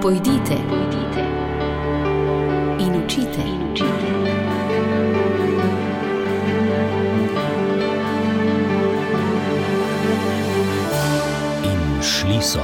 Pojdite in učite. In šli so.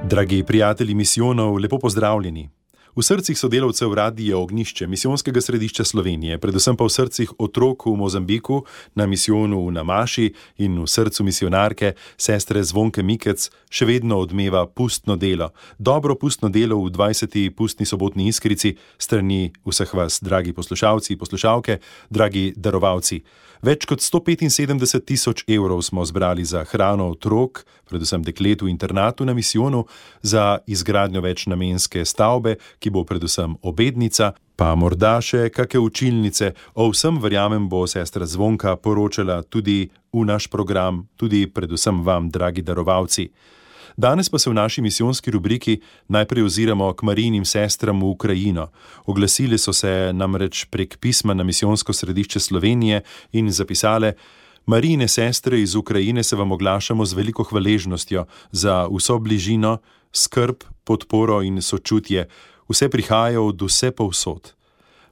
Dragi prijatelji misijonov, lepo pozdravljeni. V srcih sodelavcev Radia Ognjišče, misijonskega središča Slovenije, predvsem pa v srcih otrok v Mozambiku, na misijonu v Namaši in v srcu misijonarke, sestre Zvonke Mikec, še vedno odmeva pustno delo. Dobro pustno delo v 20. pustni sobotni Iskrici, strani vseh vas, dragi poslušalci, poslušalke, dragi darovalci. Več kot 175 000 evrov smo zbrali za hrano otrok, predvsem deklet v internatu na misijonu, za izgradnjo večnamenske stavbe, ki bo predvsem obednica, pa morda še kake učilnice. O vsem, verjamem, bo sestra Zvonka poročala tudi v naš program, tudi predvsem vam, dragi darovalci. Danes pa se v naši misijonski rubriki najprej oziramo k Marijinim sestram v Ukrajino. Oglasili so se namreč prek pisma na misijonsko središče Slovenije in zapisale: Marijine sestre iz Ukrajine se vam oglašamo z veliko hvaležnostjo za vso bližino, skrb, podporo in sočutje. Vse prihaja od vse povsod.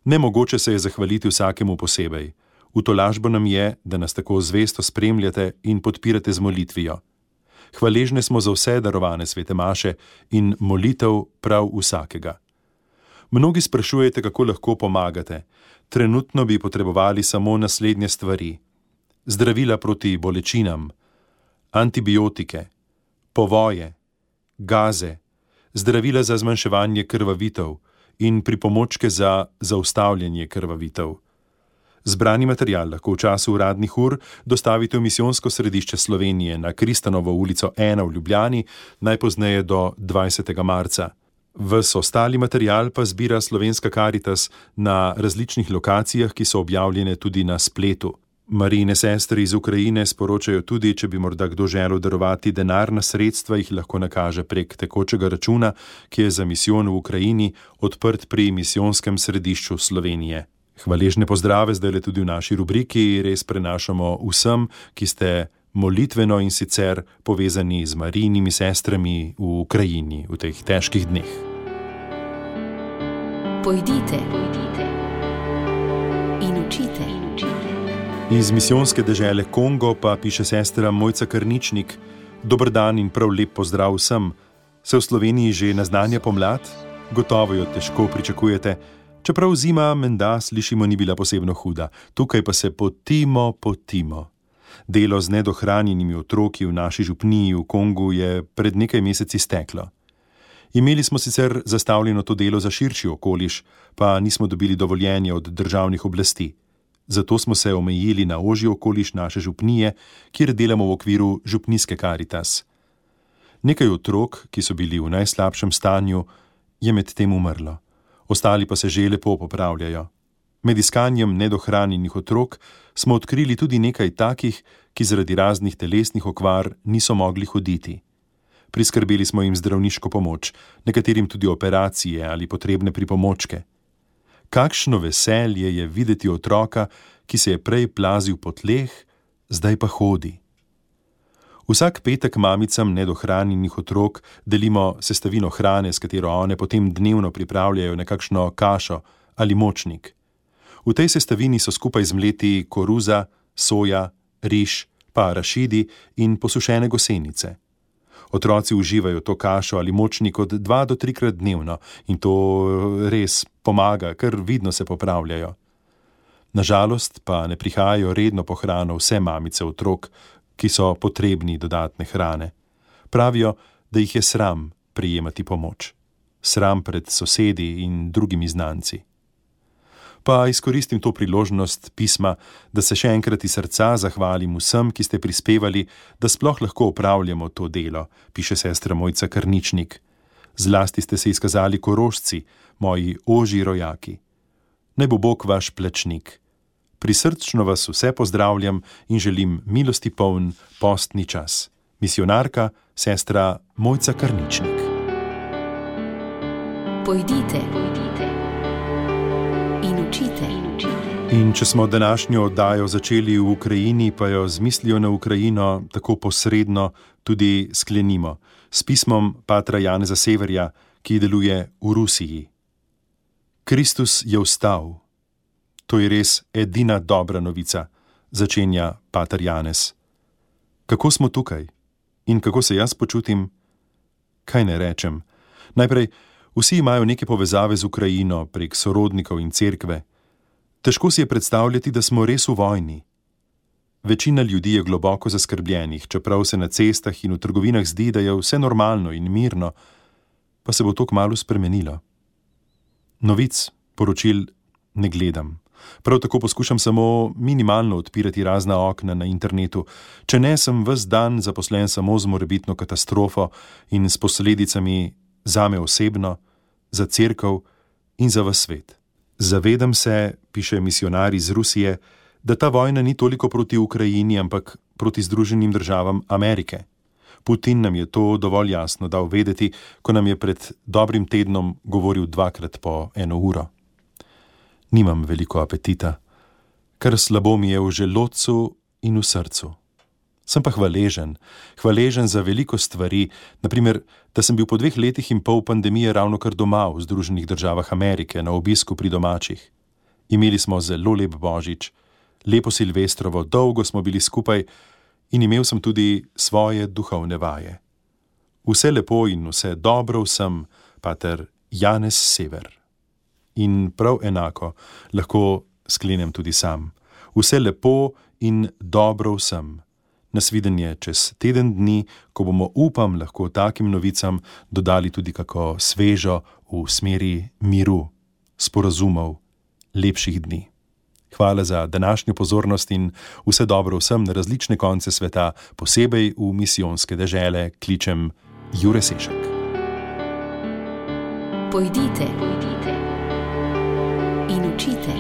Nemogoče se je zahvaliti vsakemu posebej. V tolažbo nam je, da nas tako zvesto spremljate in podpirate z molitvijo. Hvaležne smo za vse darovane svete maše in molitev prav vsakega. Mnogi sprašujete, kako lahko pomagate. Trenutno bi potrebovali samo naslednje stvari: zdravila proti bolečinam, antibiotike, povoje, gaze, zdravila za zmanjševanje krvavitev in pripomočke za zaustavljanje krvavitev. Zbrani material lahko v času uradnih ur dostavite v misijonsko središče Slovenije na Kristanovo ulico 1 v Ljubljani, najpozneje do 20. marca. Ves ostali material pa zbira Slovenska Karitas na različnih lokacijah, ki so objavljene tudi na spletu. Marijine sestre iz Ukrajine sporočajo tudi, če bi morda kdo želel darovati denarna sredstva, jih lahko nakaže prek tekočega računa, ki je za misijon v Ukrajini odprt pri misijonskem središču Slovenije. Hvaležne pozdrave zdaj tudi v naši rubriki res prenašamo vsem, ki ste molitveno in sicer povezani z Marijinimi sestrami v Ukrajini v teh težkih dneh. Pojdite in učite. Iz misijonske dežele Kongo pa piše sestra Mojca Karničnik: Dober dan in prav lep pozdrav vsem. Se v Sloveniji že naznanja pomlad? Gotovo jo težko pričakujete. Čeprav zima, menda, slišimo, ni bila posebno huda. Tukaj pa se potimo. Delo z nedohranjenimi otroki v naši župniji v Kongu je pred nekaj meseci steklo. Imeli smo sicer zastavljeno to delo za širši okoliš, pa nismo dobili dovoljenja od državnih oblasti. Zato smo se omejili na ožji okoliš naše župnije, kjer delamo v okviru župnijske Karitas. Nekaj otrok, ki so bili v najslabšem stanju, je med tem umrlo. Ostali pa se že lepo popravljajo. Med iskanjem nedohranjenih otrok smo odkrili tudi nekaj takih, ki zaradi raznih telesnih okvar niso mogli hoditi. Priskrbeli smo jim zdravniško pomoč, nekaterim tudi operacije ali potrebne pripomočke. Kakšno veselje je videti otroka, ki se je prej plazil po tleh, zdaj pa hodi. Vsak petek mamicam nedohranjenih otrok delimo sestavino hrane, s katero one potem dnevno pripravljajo nekakšno kašo ali močnik. V tej sestavini so skupaj zmleti koruza, soja, riž, pa arašidi in posušene gosenice. Otroci uživajo to kašo ali močnik od 2 do 3krat dnevno in to res pomaga, ker vidno se popravljajo. Nažalost pa ne prihajajo redno po hrano vse mamice otrok, ki so potrebni dodatne hrane. Pravijo, da jih je sram prejemati pomoč. Sram pred sosedi in drugimi znanci. Pa izkoristim to priložnost pisma, da se še enkrat iz srca zahvalim vsem, ki ste prispevali, da sploh lahko opravljamo to delo, piše sestra Mojca Karničnik. Zlasti ste se izkazali Korošci, moji ožji rojaki. Naj bo Bog vaš plačnik. Prisrčno vas vse pozdravljam in želim milosti poln postni čas. Misijonarka, sestra Mojca Karničnik. Pojdite in učite. In če smo današnjo oddajo začeli v Ukrajini, pa jo z mislijo na Ukrajino tako posredno tudi sklenimo s pismom patra Janeza Severja, ki deluje v Rusiji. Kristus je vstal. To je res edina dobra novica, začenja pater Janez. Kako smo tukaj? In kako se jaz počutim? Kaj ne rečem? Najprej, vsi imajo neke povezave z Ukrajino prek sorodnikov in cerkve. Težko si je predstavljati, da smo res v vojni. Večina ljudi je globoko zaskrbljenih, čeprav se na cestah in v trgovinah zdi, da je vse normalno in mirno, pa se bo to kmalu spremenilo. Novic, poročil ne gledam. Prav tako poskušam samo minimalno odpirati razna okna na internetu, če ne sem ves dan zaposlen samo z morebitno katastrofo in s posledicami zame osebno, za cerkev in za ves svet. Zavedam se, piše misionar iz Rusije, da ta vojna ni toliko proti Ukrajini, ampak proti Združenim državam Amerike. Putin nam je to dovolj jasno dal vedeti, ko nam je pred dobrim tednom govoril 2krat po 1 uro. Nimam veliko apetita, kar slabo mi je v želodcu in v srcu. Sem pa hvaležen za veliko stvari, naprimer, da sem bil po 2 letih in pol pandemije ravno kar doma v Združenih državah Amerike na obisku pri domačih. Imeli smo zelo lep božič, lepo silvestrovo, dolgo smo bili skupaj in imel sem tudi svoje duhovne vaje. Vse lepo in vse dobro vsem, pater Janez Sever. In prav enako lahko sklenem tudi sam. Vse lepo in dobro vsem. Nasvidenje čez teden dni, ko bomo, upam, lahko takim novicam dodali tudi kako svežo v smeri miru, sporazumov, lepših dni. Hvala za današnjo pozornost in vse dobro vsem na različne konce sveta, posebej v misijonske dežele, kličem Jure Sešak. Pojdite in učite.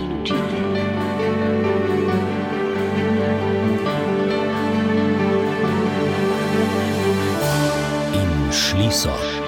Šli so.